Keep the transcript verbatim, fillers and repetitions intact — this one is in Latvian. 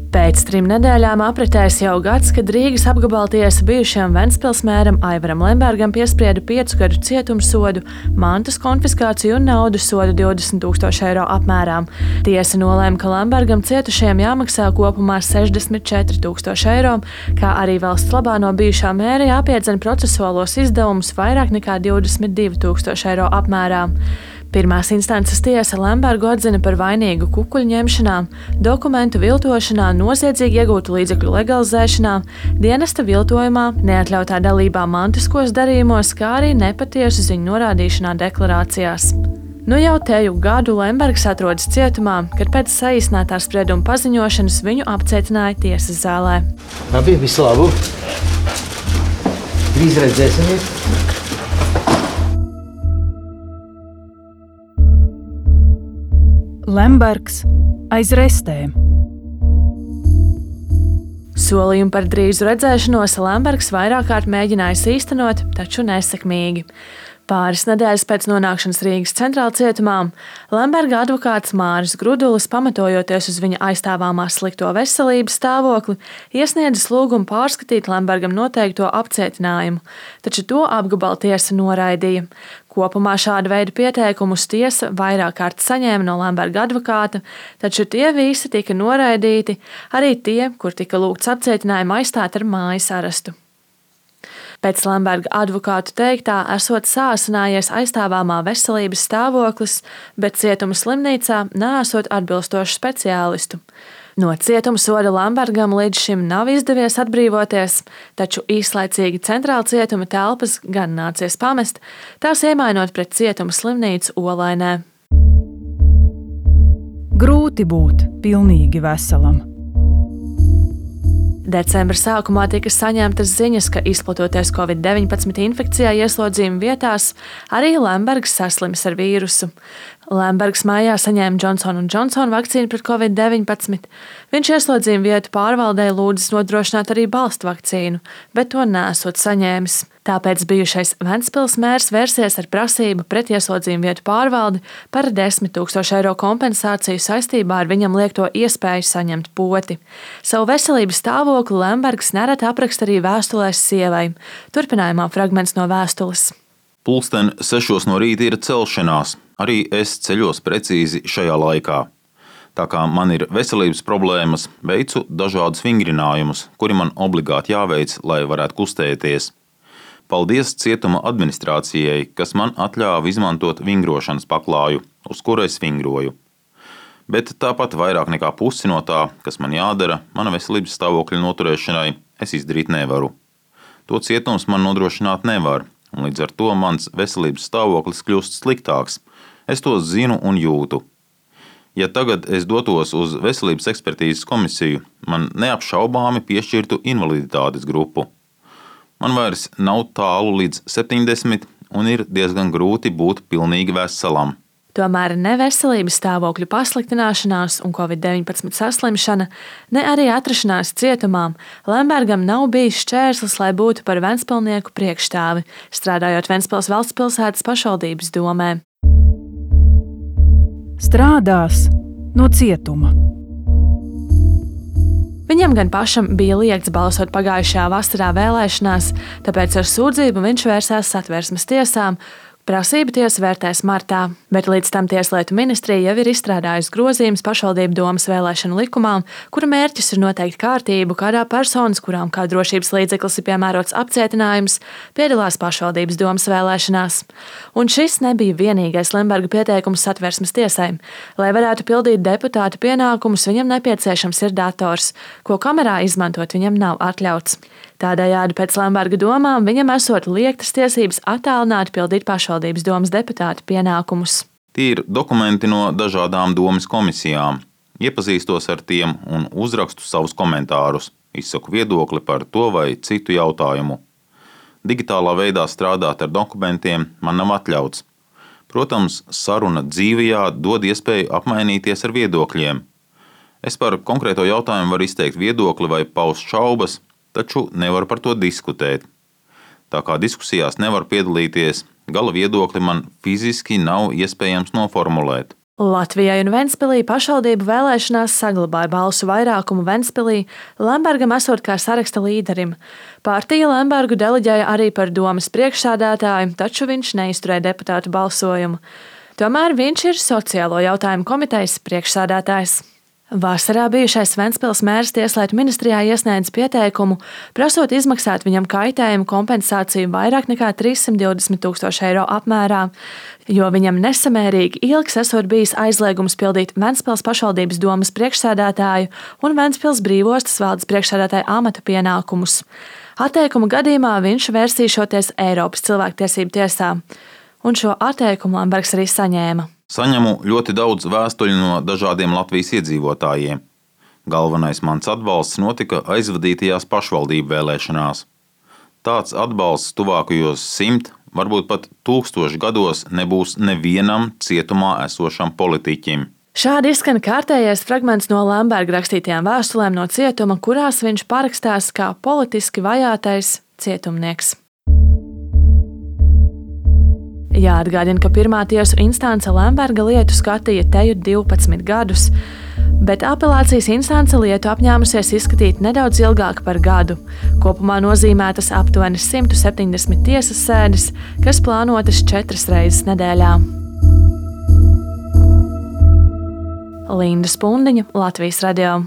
Pēc trim nedēļām apritējis jau gads, kad Rīgas apgabaltiesa bijušajam Ventspils mēram Aivaram Lembergam piesprieda piecu gadu cietumsodu, mantas konfiskāciju un naudas sodu divdesmit tūkstoši eiro apmērā. Tiesa nolēma, ka Lembergam cietušajiem jāmaksā kopumā sešdesmit četri tūkstoši eiro, kā arī valsts labā no bijušā mēra jāpiedzen procesuālos izdevumus vairāk nekā divdesmit divi tūkstoši eiro apmērā. Pirmās instances tiesa Lembergu atzina par vainīgu kukuļu ņemšanā, dokumentu viltošanā, noziedzīgi iegūtu līdzekļu legalizēšanā, dienesta viltojumā, neatļautā dalībā mantiskos darījumos, kā arī nepatiesu ziņu norādīšanā deklarācijās. Nu jau teju gadu Lembergs atrodas cietumā, kad pēc saīsinātā sprieduma paziņošanas viņu apcietināja tiesas zālē. Labi, visu labu! Drīz redzēsimies! Lembergs aiz restēm. Solījumu par drīzu redzēšanos Lembergs vairāk kārt mēģinājis īstenot, taču nesekmīgi. Pāris nedēļas pēc nonākšanas Rīgas centrāla cietumā Lemberga advokāts Māris Grudulis, pamatojoties uz viņa aizstāvāmā slikto veselības stāvokli, iesniedzis lūgumu pārskatīt Lembergam noteikto apcietinājumu, taču to apgabaltiesa noraidīja. Kopumā šādu veidu pieteikumus tiesa vairāk kārt saņēma no Lemberga advokāta, taču tie visi tika noraidīti, arī tie, kur tika lūgts apcietinājumu aizstāt ar mājas arestu. Pēc Lemberga advokātu teiktā esot sāsinājies aizstāvāmā veselības stāvoklis, bet cietuma slimnīcā neesot atbilstošu speciālistu. No cietuma soda Lembergam līdz šim nav izdevies atbrīvoties, taču īslaicīgi centrāla cietuma telpas gan nācies pamest, tās iemainot pret cietuma slimnīcu Olainē. Grūti būt pilnīgi veselam. Decembra sākumā tika saņemtas ziņas, ka izplatoties covid deviņpadsmit infekcijā ieslodzījuma vietās, arī Lembergs saslims ar vīrusu. Lembergs mājā saņēma Johnson un Johnson vakcīnu pret covid deviņpadsmit. Viņš ieslodzījuma vietu pārvaldē lūdzis nodrošināt arī balstu vakcīnu, bet to nesot saņēmis. Tāpēc bijušais Ventspils mērs vērsies ar prasību pret ieslodzījuma vietu pārvaldi par desmit tūkstošu eiro kompensāciju saistībā ar viņam liekto iespēju saņemt poti. Savu veselības stāvokli Lembergs nereti apraksta arī vēstulēs sievai. Turpinājumā fragments no vēstules. Pulksten sešos no rīta ir celšanās. Arī es ceļos precīzi šajā laikā. Tā kā man ir veselības problēmas, veicu dažādus vingrinājumus, kuri man obligāti jāveic, lai varētu kustēties. Paldies cietuma administrācijai, kas man atļāva izmantot vingrošanas paklāju, uz kuru es vingroju. Bet tāpat vairāk nekā pusi no tā, kas man jādara, mana veselības stāvokļa noturēšanai, es izdarīt nevaru. To cietums man nodrošināt nevar, un līdz ar to mans veselības stāvoklis kļūst sliktāks. Es to zinu un jūtu. Ja tagad es dotos uz veselības ekspertīzes komisiju, man neapšaubāmi piešķirtu invaliditātes grupu. Man vairs nav tālu līdz septiņdesmit un ir diezgan grūti būt pilnīgi veselam. Tomēr ne veselības stāvokļu pasliktināšanās un covid deviņpadsmit saslimšana, ne arī atrašanās cietumā Lembergam nav bijis šķērslis, lai būtu par ventspilnieku priekšstāvi, strādājot Ventspils valsts pilsētas pašvaldības domē. Strādās no cietuma. Viņam gan pašam bija liegts balsot pagājušajā vasarā vēlēšanās, tāpēc ar sūdzību viņš vērsās Satversmes tiesām. Prasību tiesa vērtēs martā, bet līdz tam Tieslietu ministrija jau ir izstrādājusi grozījumus pašvaldību domas vēlēšanu likumā, kura mērķis ir noteikt kārtību, kādā personas, kurām kā drošības līdzeklis ir piemērots apcietinājums, piedalās pašvaldības domas vēlēšanās. Un šis nebija vienīgais Lemberga pieteikums Satversmes tiesai. Lai varētu pildīt deputāta pienākumus, viņam nepieciešams ir dators, ko kamerā izmantot viņam nav atļauts. Tādējādi pēc Lemberga domām viņam esot liektas tiesības attālināt pildīt pašvaldības domas deputāta pienākumus. Tie ir dokumenti no dažādām domas komisijām. Iepazīstos ar tiem un uzrakstu savus komentārus, izsaku viedokli par to vai citu jautājumu. Digitālā veidā strādāt ar dokumentiem man nav atļauts. Protams, saruna dzīvajā dod iespēju apmainīties ar viedokļiem. Es par konkrēto jautājumu varu izteikt viedokli vai paust šaubas, taču nevaru par to diskutēt. Tā kā diskusijās nevaru piedalīties, gala viedokli man fiziski nav iespējams noformulēt. Latvijai un Ventspilī pašvaldību vēlēšanās saglabāja balsu vairākumu Ventspilī Lembergam esot kā saraksta līderim. Partija Lembergu deleģēja arī par domes priekšsēdētāju, taču viņš neizturēja deputātu balsojumu. Tomēr viņš ir sociālo jautājumu komitejas priekšsēdētājs. Vasarā bijušais Ventspils mērs Tieslietu ministrijā iesniedz pieteikumu, prasot izmaksāt viņam kaitējumu kompensāciju vairāk nekā trīssimt divdesmit tūkstoši eiro apmērā, jo viņam nesamērīgi ilgs esot bijis aizliegums pildīt Ventspils pašvaldības domes priekšsēdētāju un Ventspils brīvostas valdes priekšsēdētāja amata pienākumus. Atteikuma gadījumā viņš vērsīšoties Eiropas cilvēktiesību tiesā, un šo atteikumu Lembergs arī saņēma. Saņemu ļoti daudz vēstuļu no dažādiem Latvijas iedzīvotājiem. Galvenais mans atbalsts notika aizvadītajās pašvaldību vēlēšanās. Tāds atbalsts tuvākajos simt, varbūt pat tūkstošu gados nebūs nevienam cietumā esošam politiķim. Šādi izskan kārtējais fragments no Lemberga rakstītajām vēstulēm no cietuma, kurās viņš parakstās kā politiski vajātais cietumnieks. Jāatgādina, ka pirmā tiesu instance Lemberga lietu skatīja teju divpadsmit gadus, bet apelācijas instance lietu apņēmusies izskatīt nedaudz ilgāk par gadu. Kopumā nozīmētas aptuveni simt septiņdesmit tiesas sēdes, kas plānotas četras reizes nedēļā. Linda Spundiņa, Latvijas radio.